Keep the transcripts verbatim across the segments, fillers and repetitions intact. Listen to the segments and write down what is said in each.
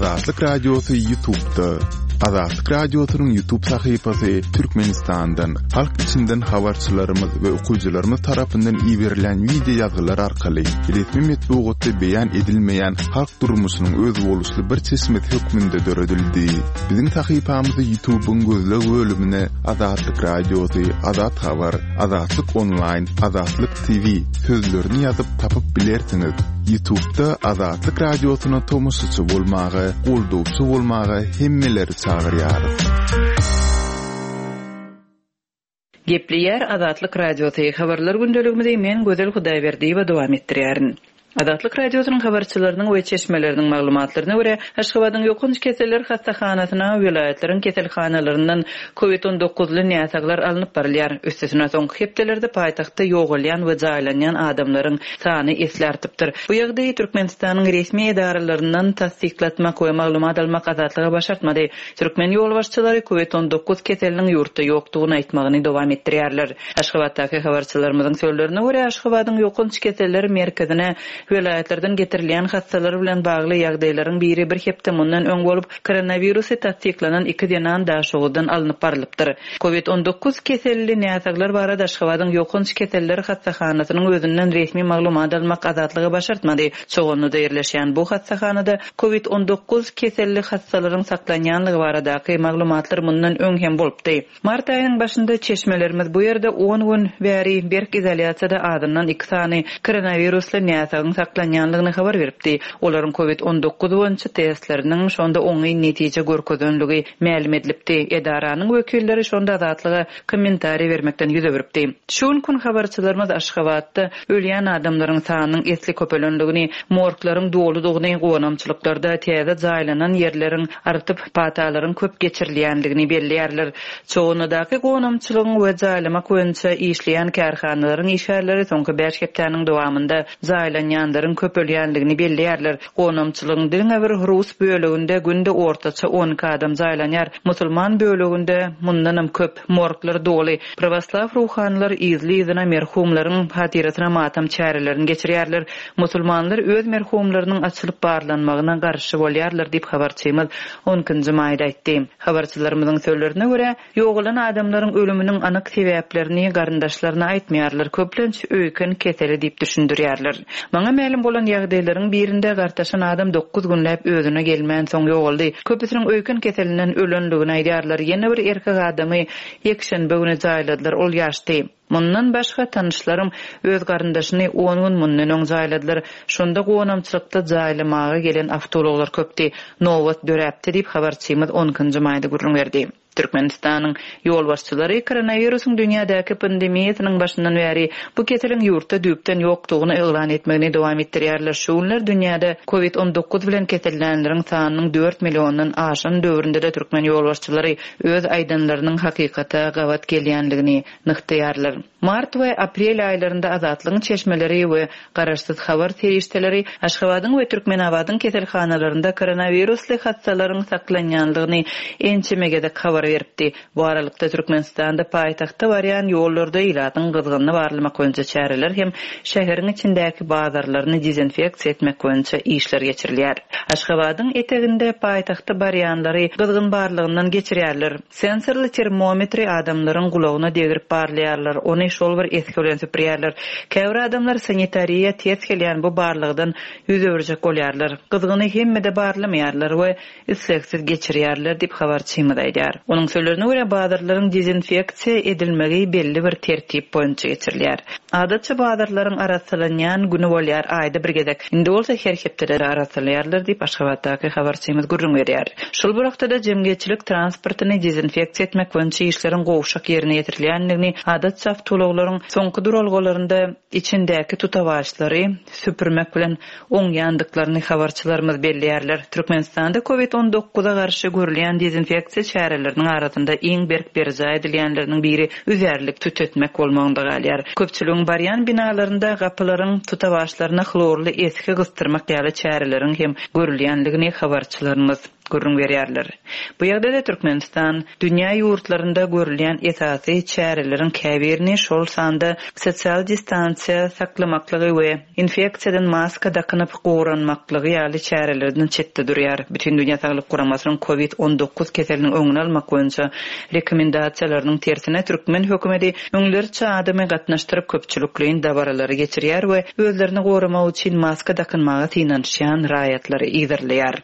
Azatlyk Radiosy YouTube'da. Azatlyk Radiosynyň YouTube sahypasy Türkmenistandan, halk içinden habarçylarymyz we okyjylarymyz tarapyndan iberilen wideo ýazgylar arkaly resmi metbugatda beýan edilmeýän halk durmuşynyň özboluşly bir çeşmesi hökmünde döredildi. Biziň sahypamyzy YouTube'yň gözleg bölümine Azatlyk Radiosy, Azat Habar, Azatlyk Online, Azatlyk T V sözlerini ýazyp tapyp bilersiňiz. YouTube'da Azatlyk Radiosyna tomaşaçy bolmaga, goldawçy bolmaga hemmeleri çagyrýarys. Gepleýär Azatlyk Radiosy, habarlar gündeligimizi men Gözel Hudaýberdiýewa dowam etdirýärin. Azatlyk Radiosynyň habarçylarynyň we çeşmeleriniň maglumatlaryna görä, Aşgabadyň ýokanç keseller hassahanasyna welaýatlaryň keselhanalaryndan COVID on dokuzly näsaglar alnyp barylýar. Üstesine soňky hepdelerde paýtagtda ýogalýan we jaýlanýan adamlaryň sany esli artypdyr. Bu ýagdaýy Türkmenistanyň resmi edaralaryndan tassyklatmak we maglumat almak Azatlyga başartmady. Türkmen ýolbaşçylary COVID on dokuz keseliniň ýurtda ýokdugyny aýtmagyny dowam etdirýärler. Aşgabatdaky habarçylarymyzyň sözlerine görä, Aşgabadyň ýokanç keseller merkezine welaýatlardan getirilýän hassalar bilen bagly ýagdaýlaryň biri bir hepde mundan öň bolup, koronawirusy tassyklanan iki zenan Daşoguzdan alnyp barylypdyr. COVID on dokuz keselli näsaglar barada Aşgabadyň ýokanç keseller hassahanasynyň özünden resmi maglumat almak Azatlyga başartmady. Çoganlyda ýerleşýän bu hassahanada COVID on dokuz keselli hassalaryň saklanýanlygy baradaky maglumatlar mundan öň hem bolupdy. Mart aýynyň başynda çeşmelerimiz bu ýerde on gün bäri berk izolýasiýada adyndan iki sany koronawirusly näsagyň saklanýanlygyny habar beripdi. Olaryň COVID on dokuz boýunça testleriniň şonda oňyn netije görkezenligi mälim edilipdi. Edaranyň wekilleri şonda Azatlyga kommentariý bermekden ýüz öwüripdi. Şu gün habarçylarymyz Aşgabatda ölýän adamlaryň sanynyň esli köpelenligini, morglaryň doludygyny, gonamçylyklarda täze jaýlanan ýerleriň artyp patalaryň köp geçirilýänligini belleýärler. Çoganlydaky gonamçylygyň we jaýlamak boýunça işleýän kärhanalaryň işgärleri soňky bäş hepdäniň dowamynda jaýlanýanlaryň köpelýänligini belleýärler. Gonamçylygyň diňe bir rus böleginde günde ortaça on iki adam jaýlanýar. Musulman böleginde mundanam köp, morglar doly. Pravoslav ruhanylar yzly-yzyna merhumlaryň hatyrasyna matam çärelerini geçirýärler. Musulmanlar öz merhumlarynyň açylyp barlanmagyna garşy bolýarlar diýip habarçymyz on ikinji maýda aýtdy. Habarçylarymyzyň sözlerine görä, ýogalan adamlaryň ölüminiň anyk sebäplerini garyndaşlaryna aýtmaýarlar, köplenç öýken keseli diýip düşündirýärler. Maňa mälim bolan ýagdaýlaryň birinde gartaşan adam dokuz günläp özüne gelmän soň ýogaldy. Köpüsiniň öýken keselinden ölenligini aýdýarlar. Ýene bir erkek adamy ýekşenbe güni jaýladylar, ol ýaşdy. Mundan başga tanışlarym öz garyndaşyny on gün mundan öň jaýladylar. Şonda gonamçylykda jaýlamaga gelen awtoulaglar köpdi. Nobat döräpdi diýip habarçymyz on ikinji maýda gürrüň berdi. Türkmenistanyň ýolbaşçylary koronawirusyň dünýädäki pandemiýasynyň başyndan bäri bu keseliň ýurtda düýpden ýokdugyny yglan etmegini dowam etdirýärler. Şu günler dünýäde COVID on dokuz bilen kesellänleriň sanynyň dört milliondan aşan döwründe de türkmen ýolbaşçylary öz aýdanlarynyň hakykata gabat gelýänligini nygtaýarlar. Mart we aprel aýlarynda Azatlygyň çeşmeleri we garaşsyz habar serişdeleri Aşgabadyň we Türkmenabadyň keselhanalarynda koronawirusly hassalaryň saklanýanlygyny ençeme gezek habar beripdi. Bu aralykda Türkmenistanda paýtagta barýan ýollarda ilatyň gyzgynyny barlamak boýunça çäreler hem şäheriň içindäki bazarlaryny dezinfeksiýa etmek boýunça işler geçirilýär. Aşgabadyň eteginde paýtagta barýanlary gyzgyn barlygyndan geçirýärler. Sensorly termometri adamlaryň gulagyna degirip barlaýarlar, ony şol bir eski bilen süpürýärler. Käbir adamlar sanitariýa ters gelýän bu barlykdan ýüz öwürjek bolýarlar. Gyzgyny hemmede barlamaýarlar we isleksiz geçirýärler diýip habarçymyz aýdýar. Onuň sözlerine görä bazarlaryň dezinfeksiýa edilmegi belli bir tertip boýunça geçirilýär. Adatça bazarlaryň arassalanýan güni bolýar aýda bir gezek. Indi bolsa her hepdede arassalaýarlar diýip Aşgabatdaky habarçymyz gürrüň berýär. Şol bir wagtda jemgyýetçilik transportyny dezinfeksiýa etmek boýunça işleriň gowşak ýerine ýetirilýändigini, adatça awtoulaglaryň soňky duralgalarynda içindäki tutawaçlary süpürmek bilen oňýandyklaryny habarçylarymyz belleýärler. Türkmenistanda COVID on dokuza garşy görülýän dezinfeksiýa çäreleriniň arasynda iň berk berjaý edilýänleriniň biri üzärlik tütetmek bolmagynda galýar. Köpçüligiň barýan binalarynda gapylaryň tutawaçlaryna hlorly eski gysdyrmak ýaly çäreleriň hem görülýänligini habarçylarymyz gürrüň berýärler. Bu ýagdaýda Türkmenistan dünýä ýurtlarynda görülýän esasy çäreleriň käbirini, şol sanda sosial distansiýa saklamaklygy we infeksiýadan maska dakynyp goranmaklygy ýaly çärelerden çetde durýar. Bütindünýä Saglyk Guramasynyň COVID on dokuz keseliniň öňüni almak boýunça rekomendasiýalarynyň tersine türkmen hökümeti müňlerçe adamy gatnaşdyryp köpçülikleýin dabaralary geçirýär we özlerini goramak üçin maska dakynmaga synanyşýan raýatlary yzarlaýar.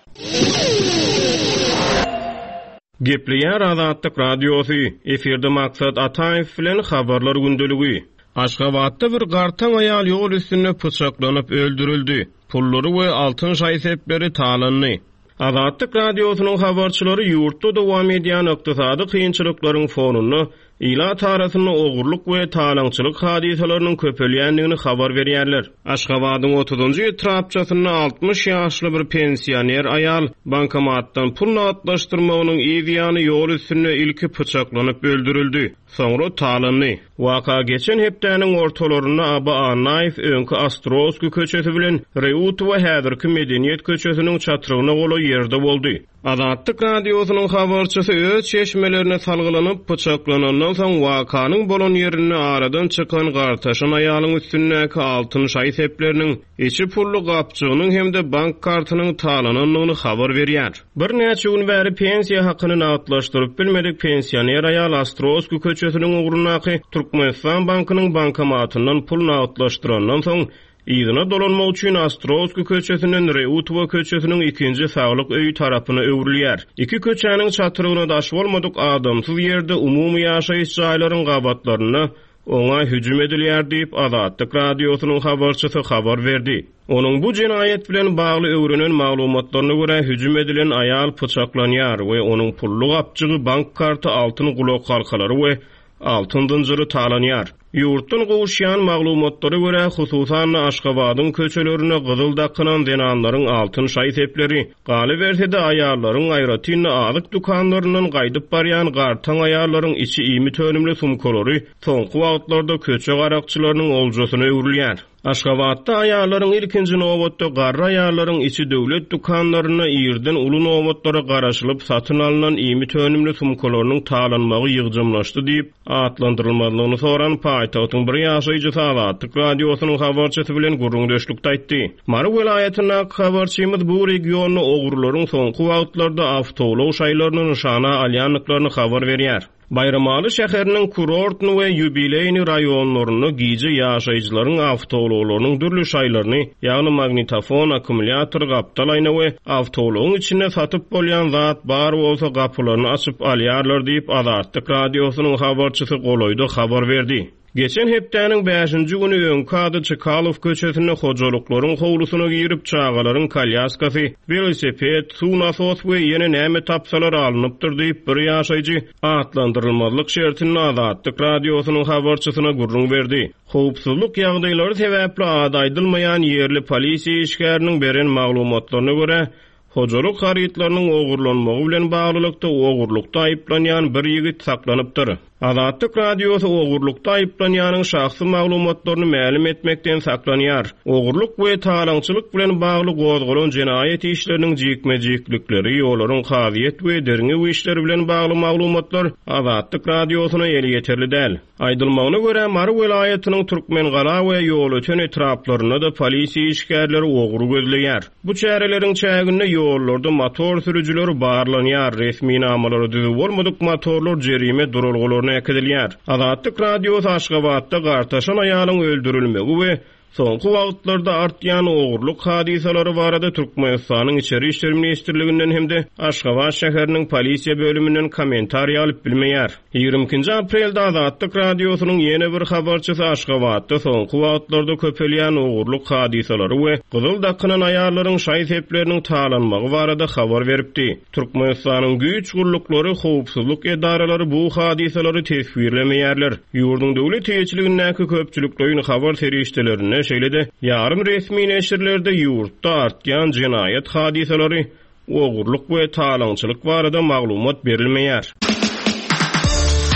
Gepleýär Azatlyk Radiosy, efirde Maksat Ataýew bilen habarlar gündeligi. Aşgabatda bir gartaň aýal ýol üstünde pyçaklanyp öldürildi. Pullary we altyn şaý-sepleri talandy. Azatlyk Radiosynyň habarçylary ýurtda dowam edýän ykdysady kynçylyklaryň fonunda ilat arasynda ogurlyk we talaňçylyk hadysalarynyň köpelýändigini habar berýärler. Aşgabadyň otuzunjy etrapçasynda altmyş ýaşly bir pensioner aýal bankomatdan pul nagtlaşdyrmagynyň yz ýany ýol üstünde ilki pyçaklanyp öldürildi. Soňra talandy. Waka geçen hepdäniň ortalarynda Aba Annaýew öňki Ostrowski köçesi bilen Reutowa häzirki Medeniýet köçesiniň çatrygyna golaý ýerde boldy. Azatlyk Radiosynyň habarçysy öz çeşmelerine salgylanyp pyçaklanandan soň wakanyň bolan ýerinde aradan çykan gartaşan aýalyň üstündäki altyn şaý-sepleriniň, içi pully gapjygynyň hem-de bank kartynyň talanandygyny habar berýär. Bir näçe gün bäri pensiýa hakyny nagtlaşdyryp bilmedik pensioner aýal Ostrowski köçesiniň ugrundaky Türkmenistan bankynyň bankomatyndan pul nagtlaşdyrandan soň yzyna dolanmak üçin Ostrowski köçesinden Reutowa köçesiniň ikinji saglyk öýi tarapyna öwrülýär. Iki köçäniň çatrygyna daş bolmadyk adamsyz ýerde umumy ýaşaýyş jaýlaryň gabatlarynda oňa hüjüm edilýär diýip Azatlyk Radiosynyň habarçysy habar berdi. Onuň bu jenaýat bilen bagly öwrenen maglumatlaryna görä hüjüm edilen aýal pyçaklanýar we onuň pully gapjygy, bank karty, altyn gulak halkalary we altyn zynjyry talanýar. Ýurtdan gowuşýan maglumatlara görä, hususan Aşgabadyň köçelerine gyzyl dakynan zenanlaryň altyn şaý-sepleri, galyberse-de aýallaryň aýratyn azyk dükanlaryndan gaýdyp barýan gartaň aýallaryň içi iýmit önümli sumkalary soňky wagtlarda köçe garakçylarynyň oljasyna öwrülýär. Aşgabatda aýallaryň ilkinji nobatda garry aýallaryň içi döwlet dükanlarynda irden uly nobatlara garaşylyp satyn alynan iýmit önümli sumkalarynyň talanmagy ýygjamlaşdy diýip atlandyrylmazlygyny soran paýtagtyň bir ýaşaýjysy Azatlyk Radiosynyň habarçysy bilen gürrüňdeşlikde aýtdy. Mary welaýatyndaky habarçymyz bu regionda ogurlaryň soňky wagtlarda awtoulag şaýlaryny nyşana alýandyklaryny habar berýär. Baýramaly şäheriniň Kurortny we Ýubileýni raýonlarynda gije ýaşaýjylaryň awtoulaglarynyň dürli şaýlaryny, ýagny magnitofon, akkumulýator, gapdal aýna we awtoulagyň içinde satyp bolýan zat bar bolsa gapylaryny açyp alýarlar diýip Azatlyk Radiosynyň habarçysy golaýda habar berdi. Geçen hepdäniň bäşinji güni öňki ady Çykalow köçesinde hojalyklaryň howlusyna girip çagalaryň kolýaskasy, welosiped, suw nasos we ýene näme tapsalar alnypdyr diýip bir ýaşaýjy atlandyrylmazlyk şertinde Azatlyk Radiosynyň habarçysyna gürrüň berdi. Howpsuzlyk ýagdaýlary sebäpli ady aýdylmaýan ýerli polisiýa işgäriniň beren maglumatlaryna görä, hojalyk harytlarynyň ogurlanmagy bilen baglylykda ogurlukda aýyplanýan bir ýigit saklanypdyr. Azatlyk Radiosy ogurlukda aýyplanýanyň şahsy maglumatlaryny mälim etmekden saklanýar. Ogurluk we talaňçylyk bilen bagly gozgalan jenaýat işleriniň jikme-jiklikleri, ýollaryň kazyýet we derňew işleri bilen bagly maglumatlar Azatlyk Radiosyna elýeterli däl. Aýdylmagyna görä, Mary welaýatynyň Türkmengala we Ýolöten etraplarynda da polisiýa işgärleri ogry gözleýär. Bu çäreleriň çäginde ýollarda motor sürüjileri barlanýar, resminamalary düzüw bolmadyk motorlar jerime duralgalaryna äkidilýär. Azatlyk Radiosy Aşgabatda gartaşan aýalyň öldürilmegi we soňky wagtlarda artýan ogurlyk hadysalary barada Türkmenistanyň Içeri İşler Ministrliginden hem-de Aşgabat şäheriniň polisiýa bölüminden kommentariýa alyp bilmeýär. Ýigrimi ikinji aprelde Azatlyk Radiosynyň ýene bir habarçysy Aşgabatda soňky wagtlarda köpelýän ogurlyk hadysalary we gyzyl dakynan aýallaryň şaý-sepleriniň talanmagy barada habar beripdi. Türkmenistanyň güýç gulluklary, howpsuzlyk edaralary bu hadysalary teswirlemeýärler. Ýurduň döwlet eýeçiligindäki köpçülikleýin habar serişdelerinde şeýle-de ýarym resmi neşirlerde ýurtda artýan jenaýat hadysalary, ogurlyk we talaňçylyk barada maglumat berilmeýär.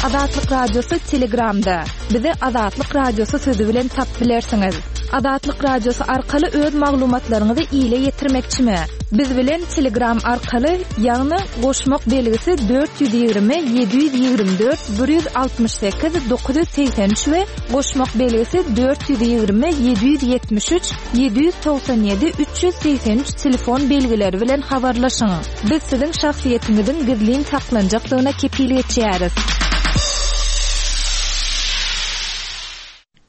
Azatlyk Radiosy Telegramda. Bizi Azatlyk Radiosy sözi bilen tap bilersiňiz. Azatlyk Radiosy arkaly öz maglumatlaryňyzy ile ýetirmekçimi? Biz bilen Telegram arkaly, ýagny goşmak belgisi dört ýüz ýigrimi ýedi ýüz ýigrimi dört bir ýüz altmyş sekiz dokuz ýüz segsen üç we goşmak belgisi dört ýüz ýigrimi ýedi ýüz ýetmiş üç ýedi ýüz togsan ýedi üç ýüz segsen üç telefon belgileri bilen habarlaşyň. Biz siziň şahsyýetiňiziň gizlin saklanjakdygyna kepil geçýäris.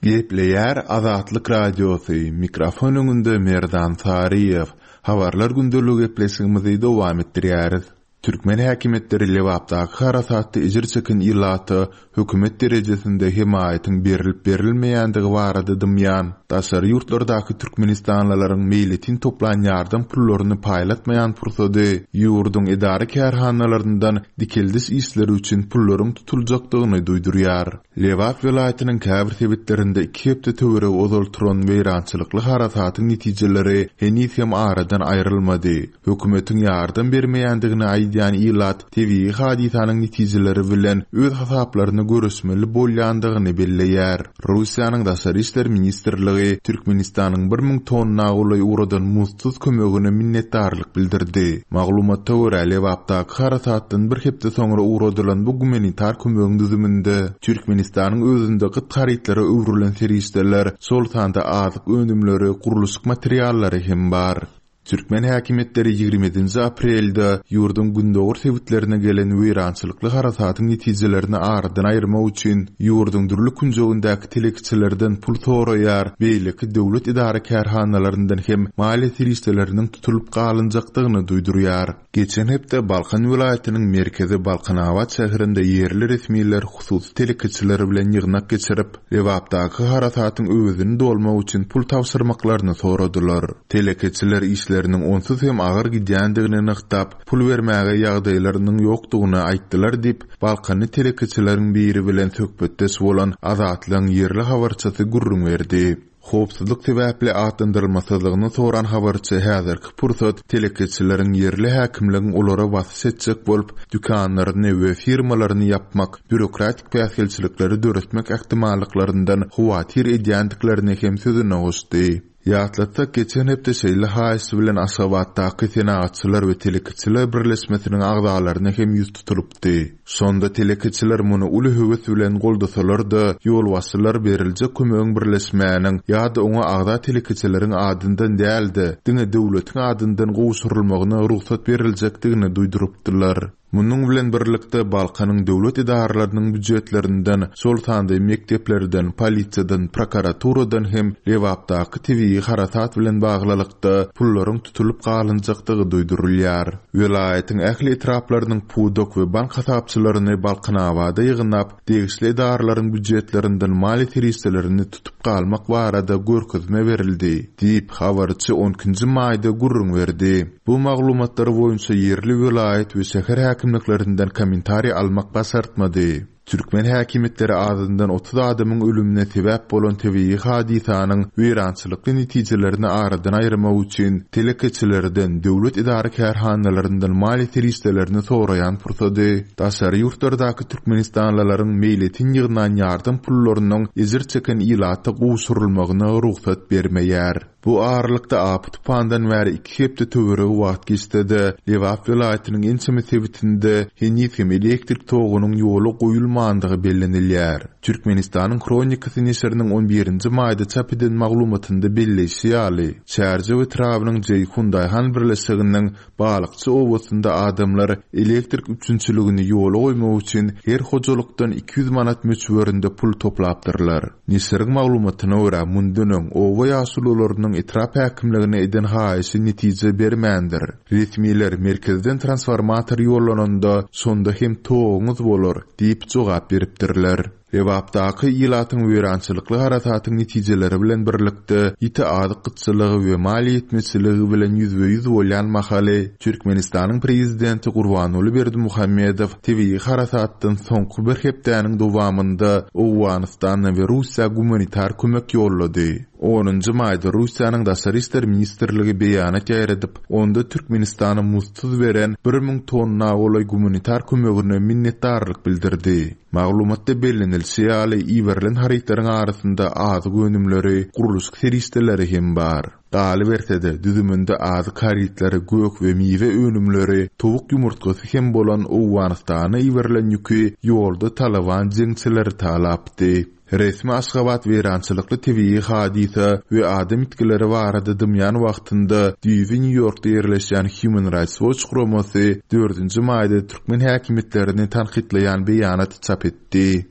Gepleýär Azatlyk Radiosy, mikrofon öňünde Merdan Saryýew. Habarlar gündeligi gepleşigimizi dowam etdirýäris. Türkmen häkimiýetleri Lebapdaky harasatda ejir çeken ilata hökümet derejesinde hemaýatyň berilip berilmeýändigi barada dymýan, daşary ýurtlardaky türkmenistanlylaryň meýletin toplan ýardam pullaryny paýlatmaýan pursady ýurduň edara kärhanalaryndan dikeldiş işleri üçin pullaryň tutuljakdygyny duýdurýar. Lebap welaýatynyň käbir sebitlerinde iki hepde töweregi ozal turan weýrançylykly harasatyň netijeleri heniz hem aradan aýrylmady. Hökümetiň ýardam bermeýändigini aýdýan ilat tebigy hadysanyň netijeleri bilen öz hasaplaryny görüşmeli bolýandygyny belleýär. Russiýanyň Daşary işler ministrligi Türkmenistanyň bir müň tonna golaý ugradan muzdsuz kömegine minnetdarlyk bildirdi. Maglumata görä, Lebapdaky harasatdan bir hepde soňra ugradylan bu gumanitar kömegiň düzüminde Türkmenistanyň özünde gyt harytlara öwrülen serişdeler, şol sanda azyk önümleri, gurluşyk materiallary hem bar. Türkmen häkimiýetleri ýigrimi ýedinji aprelde ýurduň gündogar sebitlerine gelen weýrançylykly harasatyň netijelerini aradan aýyrmak üçin ýurduň dürli künjegindäki telekeçilerden pul soraýar, beýleki döwlet edara kärhanalaryndan hem maliýe serişdeleriniň tutulyp galynjakdygyny duýdurýar. Geçen hepde Balkan welaýatynyň merkezi Balkanabat şäherinde ýerli resmiler hususy telekeçiler bilen ýygnak geçirip, Lebapdaky harasatyň öwezini dolmak üçin pul tabşyrmaklaryny soradylar. Telekeçiler işleriniň onsuz hem agyr gidýändigini nygtap, pul bermäge ýagdaýlarynyň ýokdugyny aýtdylar diýip, Balkanly telekeçileriň biri bilen söhbetdeş bolan Azatlygyň ýerli habarçysy gürrüň berdi. Howpsuzlyk sebäpli atlandyrylmasyzlygyny soran habarçy häzirki pursat telekeçileriň ýerli häkimligiň olara basyş etjek bolup, dükanlaryny we firmalaryny ýapmak, bürokratik päsgelçilikleri döretmek ähtimallyklaryndan howatyr edýändiklerini hem sözüne goşdy. Ýatlatsak, geçen hepde şeýle haýyş bilen Aşgabatdaky Senagatçylar we Telekeçiler birleşmesiniň agzalaryna hem ýüz tutulypdy. Şonda telekeçiler muny uly höwes bilen goldasalar-da, ýolbaşçylar beriljek kömegiň birleşmäniň ýa-da oňa agza telekeçileriň adyndan däl-de, diňe döwletiň adyndan gowşurylmagyna rugsat beriljekdigini duýdurypdylar. Munuň bilen birlikde Balkanyň döwlet edaralarynyň býujetlerinden, şol sanda mekdeplerden, polisiýadan, prokuraturadan hem Lebapdaky tebigy harasat bilen baglylykda pullaryň tutulyp galynjakdygy duýdurylýar. Welaýatyň ähli etraplarynyň pudak we bank hasapçylaryny Balkanabada ýygnap, degişli edaralaryň býujetlerinden maliýe serişdelerini tutup galmak barada görkezme berildi, diýip, habarçy on ikinji maýda gürrüň berdi. Bu maglumatlar boýunça ýerli welaýat we şäher häkimliklerinden kommentariý almak başartmady. Türkmen häkimiýetleri azyndan otuz adamyň ölümine sebäp bolan tebigy hadysanyň weýrançylykly netijelerini aradan aýyrmak üçin telekeçilerden, döwlet edara kärhanalaryndan maliýe serişdelerini soraýan pursady, daşary ýurtlardaky türkmenistanlylaryň meýletin ýygnan ýardam pullarynyň ejir çeken ilata gowşurylmagyna rugsat bermeýär. Bu aralykda apy tupandan bäri iki hepde töweregi wagt geçse-de, Lebap welaýatynyň ençeme sebitinde heniz hem elektrik togunyň ýola goýulmandygy bellenilýär. Türkmenistanyň Hronikasy neşiriniň on birinji maýda çap eden maglumatynda belleýşi ýaly, Çärjew etrabynyň Jeýhun Daýhan birleşiginiň Balykçy obasynda adamlar elektrik üpjünçiligini ýola goýmak üçin her hojalykdan iki ýüz manat möçberinde pul toplapdyrlar. Neşiriň maglumatyna görä, mundan öň oba ýaşulularynyň etrap häkimligine eden haýyşy netije bermändir. Resmiler merkezden transformator ýollananda şonda hem toguňyz bolar diýip jogap beripdirler. Lebapdaky ilatyň weýrançylykly harasatyň netijeleri bilen birlikde ýiti azyk gytçylygy we maliýe ýetmezçiligi bilen ýüzbe-ýüz bolýan mahaly Türkmenistanyň prezidenti Gurbanguly Berdimuhamedow tebigy harasatdan soňky bir hepdäniň dowamynda Owganystana we Russiýa gumanitar kömek ýollady. Onunjy maýda Russiýanyň Daşary işler ministrligi beýanat ýaýradyp, onda Türkmenistana muzdsuz beren bir müň tonna golaý gumanitar kömegine minnetdarlyk bildirdi. Maglumatda bellenilişi ýaly, iberilen harytlaryň arasynda azyk önümleri, gurluşyk serişdeleri hem bar. Galyberse-de, düzüminde azyk harytlary, gök we miwe önümleri, towuk ýumurtgasy hem bolan Owganystana iberilen ýüki ýolda Talyban jeňçileri talapdy. Resmi Aşgabat weýrançylykly tebigy hadysa we adam ýitgileri barada dymýan wagtynda düýbi Nýu-Ýorkda ýerleşýän Human Rights Watch guramasy dördünji maýda türkmen häkimiýetlerini tankytlaýan beýanat çap etdi.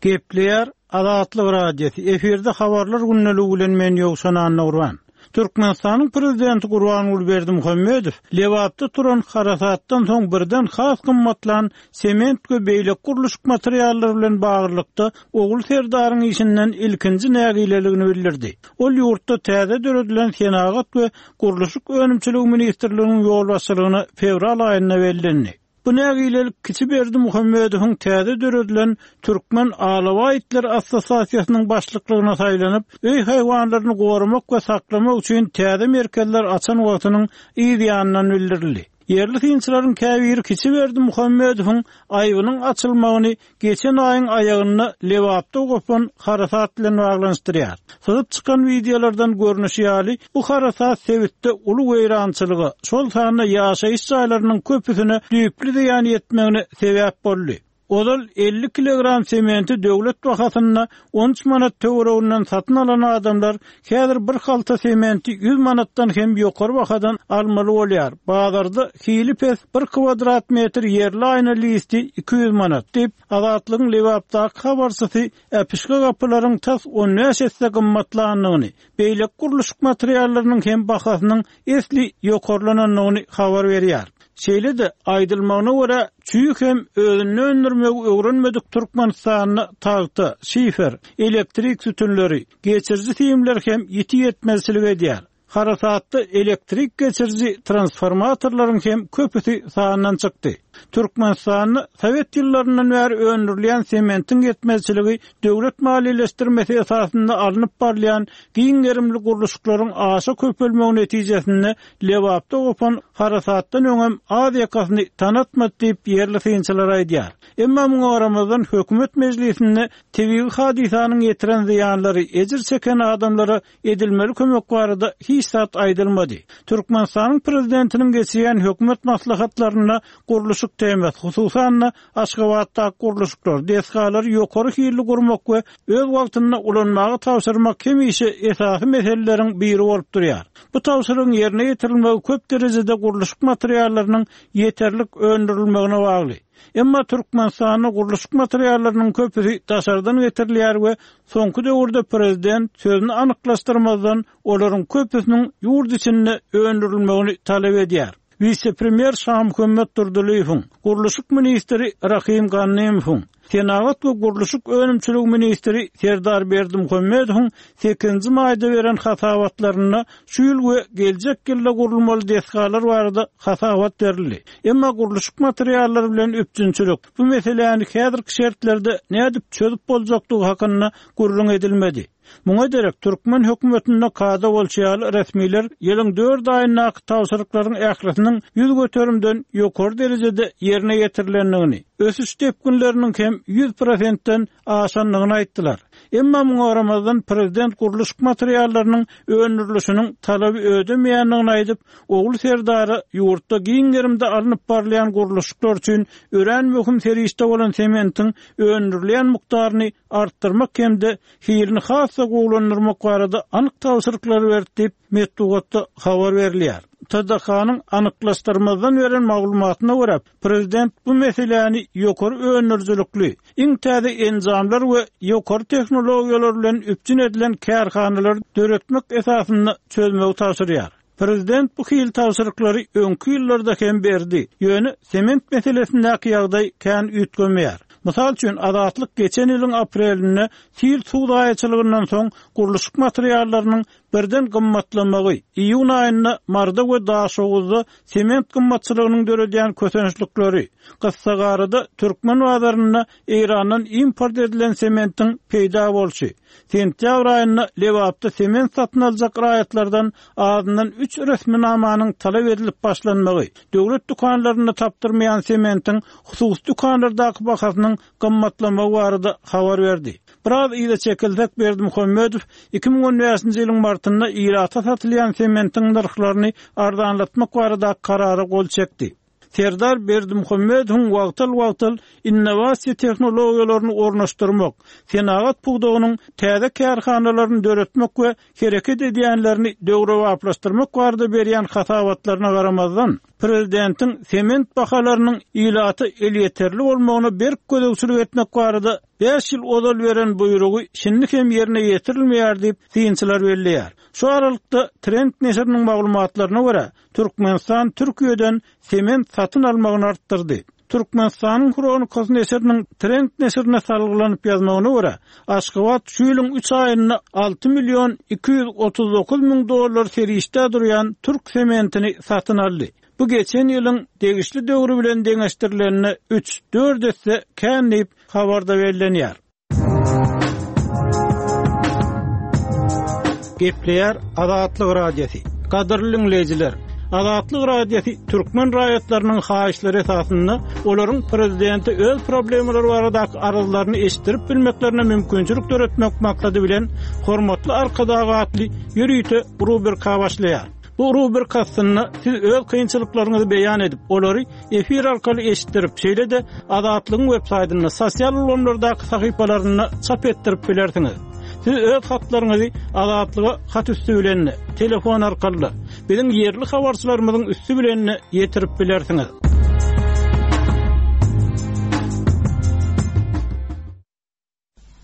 Gepleýär Azatlyk Radiosy, efirde habarlar gündeligi bilen men Ýowşan Annagurban. Türkmenistanyň Prezidenti Gurbanguly Berdimuhamedow Lebapda turan harasatdan soň birden has gymmatlan sement we beýleki gurluşyk materiallary bilen baglylykda Ogul Serdaryň işinden ilkinji nägileligini bildirdi. Ol ýurtda täze döredilen Senagat we gurluşyk önümçiligi ministrliginiň ýolbaşçylygyna fewral aýynda bellendi. Bu nägilelik kiçi Berdimuhamedowyň täze döredilen Türkmen alabaý itleri assosiasiýasynyň başlyklygyna saýlanyp, öý haýwanlaryny goramak we saklamak üçin täze merkezler açan wagtynyň yz ýanyndan bildirildi. Ýerli synçylaryň käbiri kiçi Berdimuhamedowyň aýbynyň açylmagyny geçen aýyň aýagynda Lebapda gopan harasat bilen baglanyşdyrýar. Syzyp çykan wideolardan görnüşi ýaly, bu harasat sebitde uly weýrançylyga, şol sanda ýaşaýyş jaýlarynyň köpüsine düýpli zyýan ýetmegine sebäp boldy. Ozal elli kilogram sementi döwlet bahasynda on üç manat töwereginden satyn alan adamlar häzir bir halta sementi ýüz manatdan hem ýokary bahadan almaly bolýar. Bazarda hili pes bir kvadrat metr ýerli aýna listi iki ýüz manat diýip, Azatlygyň Lebapdaky habarçysy äpişge gapylaryň tas on bäş esse gymmatlandygyny, beýleki gurluşyk materiallarynyň hem bahasynyň esli ýokarlanandygyny habar berýär. Şeýle-de aýdylmagyna görä, çüý hem özüni öndürmegi öwrenmedik Türkmenistanda tagta, şifer, elektrik sütünleri, geçiriji simler hem ýiti ýetmezçilik edýär. Harasatda elektrik geçiriji transformatorlaryň hem köpüsi sandan çykdy. Türkmenistanda Sowet ýyllaryndan bäri öndürilýän sementiň ýetmezçiligi döwlet maliýeleşdirmesi esasynda alnyp barylýan giň gerimli gurluşyklaryň aşa köpelmegi netijesinde Lebapda gopan harasatdan öňem az ýakasyny tanatmady diýip ýerli synçylar aýdýar. Emma muňa garamazdan hökümet mejlisinde tebigy hadysanyň ýetiren zyýanlary ejir çeken adamlara edilmeli kömek barada hiç zat aýdylmady. Türkmenistanyň prezidentiniň geçirýän hökümet maslahatlarynda gurluşyk temasy, hususan-da Aşgabatdaky gurluşyklar, desgalary ýokary hilli gurmak we öz wagtynda ulanmaga tabşyrmak hemişe esasy meseleleriň biri bolup durýar. Bu tabşyrygyň ýerine ýetirilmegi köp derejede gurluşyk materiallarynyň ýeterlik öndürilmegine bagly. Emma Türkmenistanda gurluşyk materiallarynyň köpüsi daşardan getirilýär we soňky döwürde prezident sözüni anyklaşdyrmazdan olaryň köpüsiniň ýurt içinde öndürilmegini talap edýär. Wise-premýer Şamuhammet Durdylyýewiň, gurluşyk ministri Rahim Gannymowyň, Senagat we gurluşyk önümçiligi ministri Serdar Berdimuhamedowyň sekizinji maýda beren hasabatlarynda şu ýyl we geljek ýylda gurulmaly desgalar barada hasabat berildi. Emma gurluşyk materiallary bilen üpjünçilik bu meseläni häzirki şertlerde nädip çözüp boljakdygy hakynda gürrüň edilmedi. Muňa derek türkmen hökümetinde kada bolşy ýaly resmiler ýylyň dört aýyndaky tabşyryklaryň ählisiniň ýüz göterimden ýokary derejede ýerine ýetirilendigini, ösüş depginleriniň hem ýüz prosentden aşandygyny aýtdylar. Emma muňa garamazdan prezident gurluşyk materiallarynyň öndürilişiniň talaby ödemeýändigini aýdyp, Ogul Serdara ýurtda giň gerimde alnyp barylýan gurluşyklar üçin örän möhüm serişde bolan sementiň öndürilýän mukdaryny artdyrmak hem-de hilini has-da gowulandyrmak barada anyk tabşyryklary berdi diýip, metbugatda habar berilýär. T D K-nyň anyklaşdyrmazdan beren maglumatyna görä, prezident bu meseläni ýokary öndürijilikli, iň täze enjamlar we ýokary tehnologiýalar bilen üpjün edilen kärhanalar döretmek esasynda çözmegi tabşyrýar. Prezident bu hil tabşyryklary öňki ýyllarda hem berdi. Ýöne sement meselesindäki ýagdaý kän üýtgemeýär. Mysal üçin, Azatlyk geçen ýylyň aprelinde sil suw zaýaçylygyndan soň gurluşyk materiallarynyň birden gymmatlamagy, iýun aýynda Maryda we Daşoguzda sement gymmatçylygynyň döredýän kösençlikleri, gyssagarada türkmen bazarynda Eýrandan import edilen sementiň peýda bolşy, sentýabr aýynda Lebapda sement satyn aljak raýatlardan azyndan üç resminamanyň talap edilip başlanmagy, döwlet dükanlarynda tapdyrmaýan sementiň hususy dükanlardaky bahasynyň gymmatlamagy barada habar berdi. Biraz yza çekilsek, Berdimuhamedow iki müň on bäşinji ýylyň martynda ilata satylýan sementiň nyrhlaryny arzanlatmak baradaky karara gol çekdi. Serdar Berdimuhamedowyň wagtal-wagtal innowasiýa tehnologiýalaryny ornaşdyrmak, senagat pudagynyň täze kärhanalaryny döretmek we hereket edýänlerini döwrebaplaşdyrmak barada berýän hasabatlaryna garamazdan, prezidentiň sement bahalarynyň ilata elýeterli bolmagyna berk gözegçilik etmek barada bäş ýyl ozal beren buýrugy şindi hem ýerine ýetirilmeýär diýip, synçylar belleýär. Şu aralykda Trend neşiriniň maglumatlaryna görä, Türkmenistan Türkiýeden sement satyn almagyny artdyrdy. Türkmenistanyň Hronikasy neşiriniň Trend neşirine salgylanyp ýazmagyna görä, Aşgabat şu ýylyň üç aýynda alty million iki ýüz otuz dokuz müň dollar serişdä durýan türk sementini satyn aldy. Bu geçen ýylyň degişli döwri bilen deňeşdirilende üç, dört esse kän diýip, habarda bellenýär. Gepleýär Azatlyk Radiosy. Gadyrly diňleýjiler, Azatlyk Radiosy türkmen raýatlarynyň haýyşlary esasynda olaryň prezidente öz problemalary baradaky arzlaryny eşitdirip bilmeklerine mümkinçilik döretmek maksady bilen Hormatly Arkadag atly ýörite rubrika başlaýar. Bu rubrika astynda siz öz kynçylyklaryňyzy beýan edip, olary efir arkaly eşitdirip, şeýle-de Azatlygyň web saýtynda, sosial ulgamlardaky sahypalarynda çap etdirip bilersiňiz. Siz öz hatlaryňyzy Azatlyga hat üsti bilen, telefon arkaly, biziň ýerli habarçylarymyzyň üsti bilen ýetirip bilersiňiz.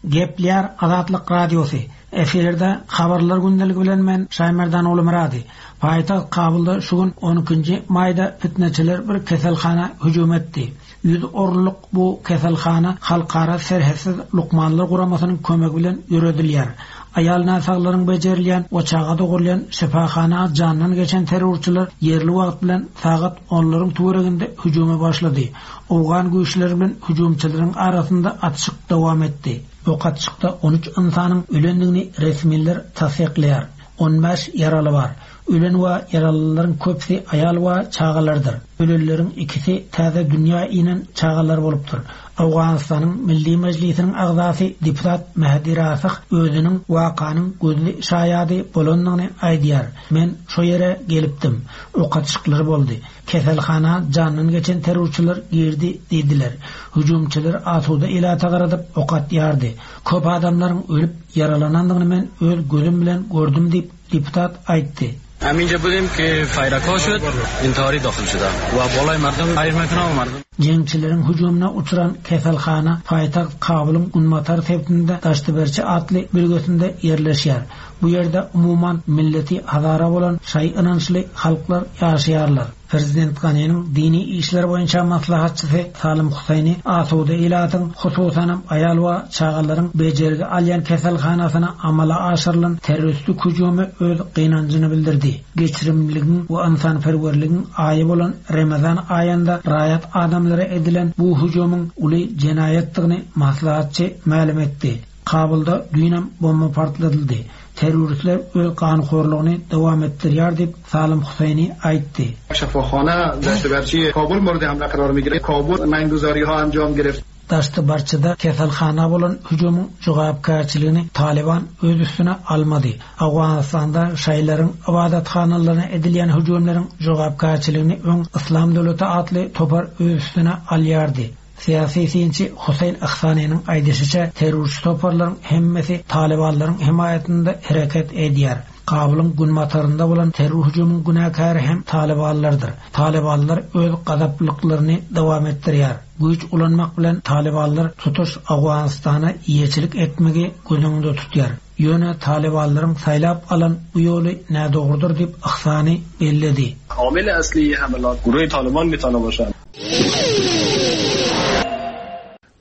Gepleýär Azatlyk Radiosy. Efirde habarlar gündeligi bilen men Şaýmerdan Ulumyrady. Paýtagt Kabulda şu gün on ikinji maýda fitneçiler bir keselhana hüjüm etdi. Ýüz orunlyk bu keselhana Halkara Serhetsiz Lukmanlar Guramasynyň kömegi bilen ýöredilýär. Aýal näsaglaryň bejerilýän we çaga dogurylýan şypahana jandan geçen terrorçylar ýerli wagt bilen sagat onlaryň töwereginde hüjüme başlady. Owgan güýçleri bilen hüjümçileriň arasynda atyşyk dowam etdi. Ok atyşykda on üç ynsanyň ölendigini resmiler tassyklaýar. On bäş ýaraly bar. Ölen we ýaralylaryň köpüsi aýal we çagalardyr. Ölenleriň ikisi täze dünýä inen çagalar bolupdyr. Owganystanyň Milli Mejlisiniň agzasy deputat Mehdi Rasyh özüniň wakanyň gözli şaýady bolandygyny aýdýar. Men şo ýere gelipdim. Ok atyşyklary boldy. Keselhana jandan geçen terrorçylar girdi diýdiler. Hüjümçiler asuda ilata garadyp ok atýardy. Köp adamlaryň ölüp ýaralanandygyny men öz gözüm bilen gördüm diýip deputat aýtdy. Hem ince budim ki fayraka şud, intihari daxil şuda. Wa bolay mardum, hayır mekana wa mardum. Jeňçileriň hüjümine uçran keselhana paýtagt Kabulyň günbatar sebitinde Daştyberçi atly bölgesinde ýerleşýär. Bu ýerde umuman milleti Hazara bolan şaý ynançly halklar ýaşaýarlar. Prezident Ganiniň dini işler boýunça maslahatçysy Salim Husayni asuda ilatyň, hususanam aýal we çagalaryň bejergi alýan keselhanasyna amala aşyrylan terroristik hüjüme öz gynanjyny bildirdi. Geçirimligiň we ynsanperwerligiň aýy bolan Ramazan aýynda raýat adamlara edilen bu hüjümiň uly jenaýatdygyny maslahatçy mälim etdi. Kabulda düýnem bomba partladyldy. Terroristler öz ganhorlugyny dowam etdirýär diýip Salim Husayni aýtdy. Şifahana Daştybarçy Kabul murdy hamla karar migire. Kabul manguzariha anjam gireft. Daştybarçyda keselhana bolan hüjümiň jogapkärçiligini Taliban öz üstüne almady. Owganystanda şaýlaryň ibadathanalaryna edilýän hüjümleriň jogapkärçiligini öň Islam döwleti atly topar öz üstüne alýardy. Siyasi synçy Huseýn Ihsanynyň aýdyşyça terrorçy toparlaryň hemmesi Talibanlaryň himaýatynda hereket edýär. Kabulyň günbatarynda bolan terror hüjüminiň günäkäri hem Talibanlardyr. Talibanlar öz gazaplyklaryny dowam etdirýär. Güýç ulanmak bilen Talibanlar tutuş Owganystana eýeçilik etmegi göz öňünde tutýar. Ýöne Talibanlaryň saýlap alan bu ýoly nädogrudyr diýip Ihsany belledi. Amil asli hamalat guruh Taliban mitana boşan.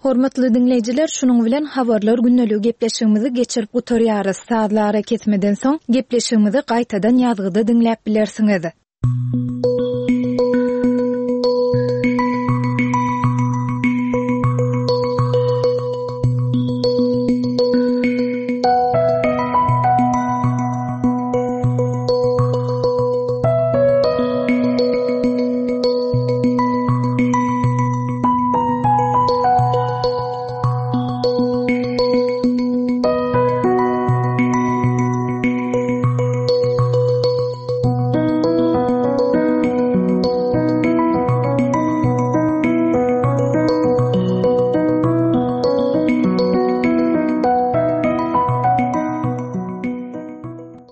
Hormatly diňleýjiler, şunuň bilen habarlar gündeligi gepleşigimizi geçirip gutarýarys. Sazly arakesmeden soň gepleşigimizi gaýtadan ýazgyda diňläp bilersiňiz.